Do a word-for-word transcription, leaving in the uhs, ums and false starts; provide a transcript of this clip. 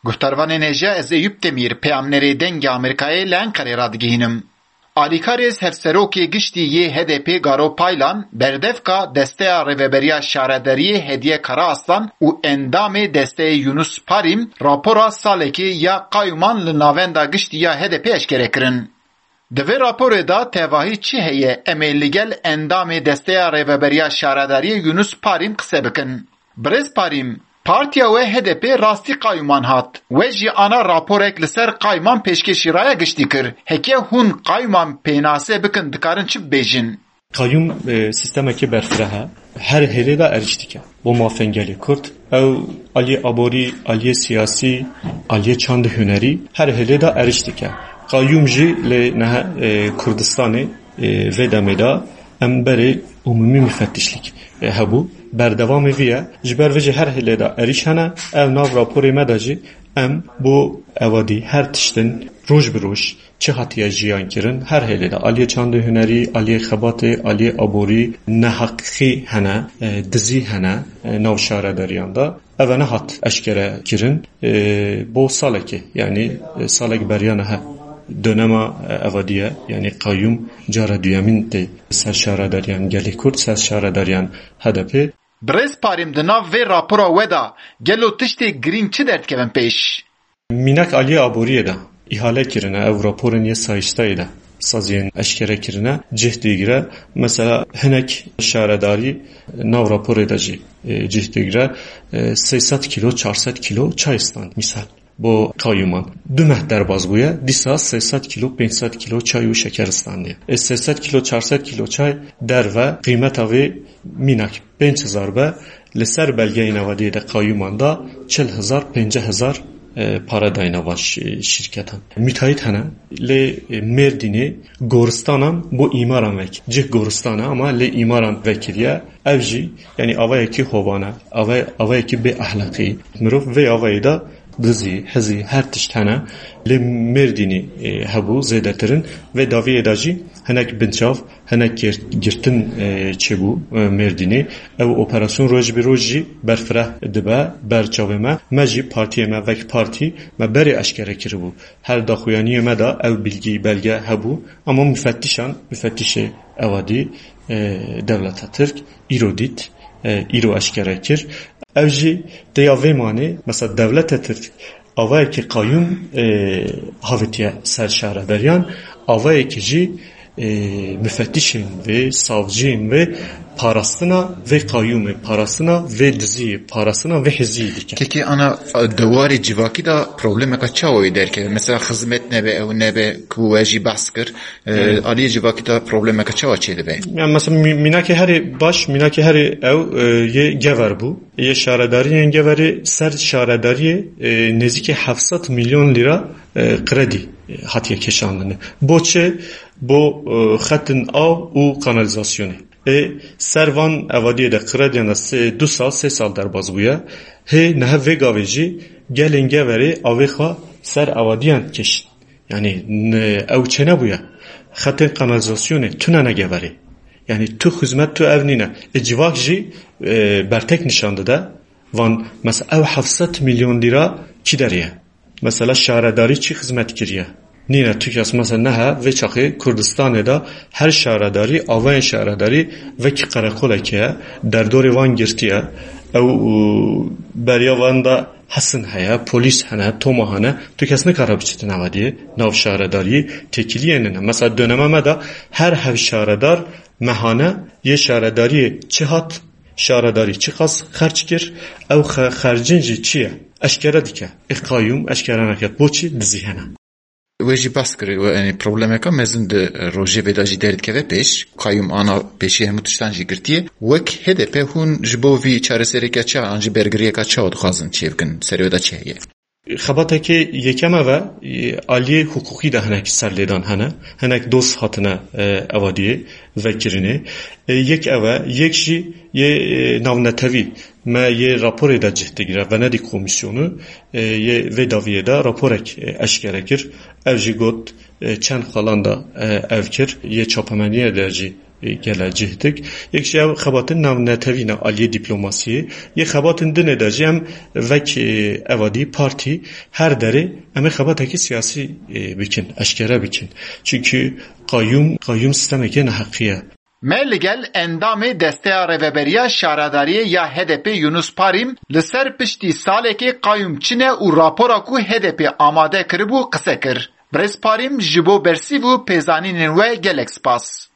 Guhdarvanên hêja, ez Eyûp Demîr, peyamnerê Dengê Amerîkayê li Enqerê radigihînim. Alîkarê hevserokê giştî yê H D P Garo Paylan, berdevka Desteya Rêveberiya Şaredariyê Hediye Karaaslan û endamê desteyê Yunus Parîm rapora salekê ya qayûman li navenda giştî ya H D P eşkere kirin. Di vê raporê de tevahî çi heye, em ê li gel endamê Desteya Rêveberiya Şaredariyê Yunus Parîm qise bikin. Birêz Parîm, partiya we H D P rastî qayûman hat. We jî ana raporek li ser qayûman pêşkêşî raya giştî kir. Heke hûn qayûman pênase bikin, dikarin çi bibêjin? Qayûm, e, sîstemekî berfireh e. Her hêlê de êrîş dike. Bo mafên gelê Kurd, ew aliyê aborî, aliyê siyasî, aliyê çand û hunerî, her hêlê de êrîş dike. Qayûm jî li niha, e, Kurdistanê, e, vê demê de em berê umumî mifettişlik, e, hebû. Berdewamê vî ye. Ji ber vê jî her hêlê de êrîş hene. Ev nav raporê me de jî em bo evadî her tiştin roj bi roj çi hatiye jiyan kirin, her hêlê de aliyê çand û hunerî, aliyê xebatê, aliyê aborî neheqî hene, e, dizî hene, e, nav şaredariyan de. Ev nehat eşkere kirin, e, bo salekê, yanî, e, salek beriya niha dönema, e, evadî ye, yanî qayûm cara duyemîn tê ser şaredariyan gelê Kurd, ser şaredariyan H D P. Birêz Parîm, di nav vê rapora we de gelo tiştê girîng çi derdikevin pêş? Mînak aliyê aboriyê de îhale kirine, ew raporên yê sayîstayê de saziyên eşkere kirine, cih digire. Mesela hinek şaredarî nav raporê de jî, e, cih digire, e, sê sed kîlo, çar sed kîlo çay stand, misal. Bo qayûman. Du meh derbas bûye, dîsa sê sed kîlo, pênc sed kîlo çay û şeker standiye. E, sê sed kîlo, çar sed kîlo çay derve qîmeta vê mînak pênc hezar be, li ser belgeyên evadiyê de qayûman da çil hezar, pêncî hezar, e, para dayne van şî-, şîrketan. Müteahhit hene, lê, e, Mêrdînê goristanan bo îmaran vek. Cih goristan e, ama lê îmaran vekiriye. Ev jî, yanî avayekî hovan e, ava-, avayekî bê ehlaqî. Mirov vê avayê de dizî, hizî, her tişt hene. Lê Mêrdînê, e, hebû zêdetir in. Vê dawiyê de jî hinek binçav, hinek gir-, girtin, e, çêbû, e, Mêrdînê. Ew operasyon roj bi roj jî berfireh dibe ber çavê me. Me jî partiyê me vek partî me berê eşkere kiribû. Her daxuyaniyê me de ew bilgî, belge hebû. Ama mufettişan, mufettişê evadî, e, dewleta Tirk, îro dît, e, îro eşkere kir. Ew jî têya vê manê, mesela dewleta Tirk avayekî qayûm, e, havitiye ser şaredariyan, avayekî jî, e, mufettişên vê, savciyên vê parastina vê qayûmê, parastina vê diziyê, parastina vê hiziyê dike. Kekê ana, e, di warê civakî de problemeka çawa wê derkeve? Mesela xizmet nebe, ew nebe ku we jî behs kir, e, Evet. aliyê civakî de problemeka çawa çêdibe? Yani mesela mî-, mînakê herê baş, mînakê herê ew, e, yê Gever bû. Yê şaredariyên Geverê ser şaredariyê, e, nêzîkî heft sed milyon lîra, e, kredî, e, hatiye kêşandinê. Bo çi? Bo, e, xetin av û kanalîzasyonê. Ê ser van evadiyê de krediyan de sê, du sal, sê sal derbas bûye. Hê niha vê gavê jî gelên Geverê avê xwe ser evadiyan kişt. Yanî, n-, ew çênebûye. Xetên kanalîzasyonê tune ne Geverê. Yanî tu xizmet tu ev nîne. Ê civak jî, e, bertek nişan dide. Van, mesela ew heft sed milyon lîra kî derê ye? Mesela şaredarî çi xizmet kiriye? Nîne tu kes mesela nehe vê çaxê Kurdistanê de her şaredarî, avayên şaredarî vekî qereqolekê ye, derdorê van girtiye. Ew, û, beriya van de hesin heye, polîs hene, toma hene. Tu kes nikare biçitin evadiyê, nav şaredariyê têkiliyê nine. Mesela döneme me de her hev şaredar mehane yê şaredariyê çi hat, şaredarî çiqas xerc kir, ew xe-, xercin jî çi ye? Eşkere dike. Ê qayûm eşkere neket. Boçî? Dizî hene. We jî behs kir, we, yanî problemeka mezin di rojê vê de jî derdikeve pêş. Qayûm ana pêşî hemû tiştan jî girtiye. Wek H D P hûn ji bo vî çaresereke çawa an jî bergiriyeka çawa dixwazin çêbikin? Serê we de çi heye? Xebatekê yekem ev e, e, aliyê hiqûqî de hinek serlêdan hene, hinek doz hatine, e, evadiyê vekirinê. E, yek ev e, yek jî yê, e, navnetewî me yê raporê de cih digire, Venedik Komîsyonu, e, yê vê dawiyê de raporek, e, eşkere kir. Ev jî got, e, çend xalan de, e, ev kir, yê çapemeniyê de jî Gele cih dik. Yek jî ev xebatên navnetewî ne aliyê dîplomasiyê. Yê xebatên dinê de jî em vek, e, evadî partî her derê em ê xebatekî siyasî, e, bikin, eşkere bikin. Çimkî qayûm, qayûm sîstemekê neheqî ye. Me li gel endamê Desteya Rêveberiya Şaredariyê ya H D P Yunus Parîm li ser piştî salekê qayûm çi ne û rapora ku H D P amade kiribû qise kir. Birêz Parîm, ji bo bersîv û pêzanînên we gelek spas.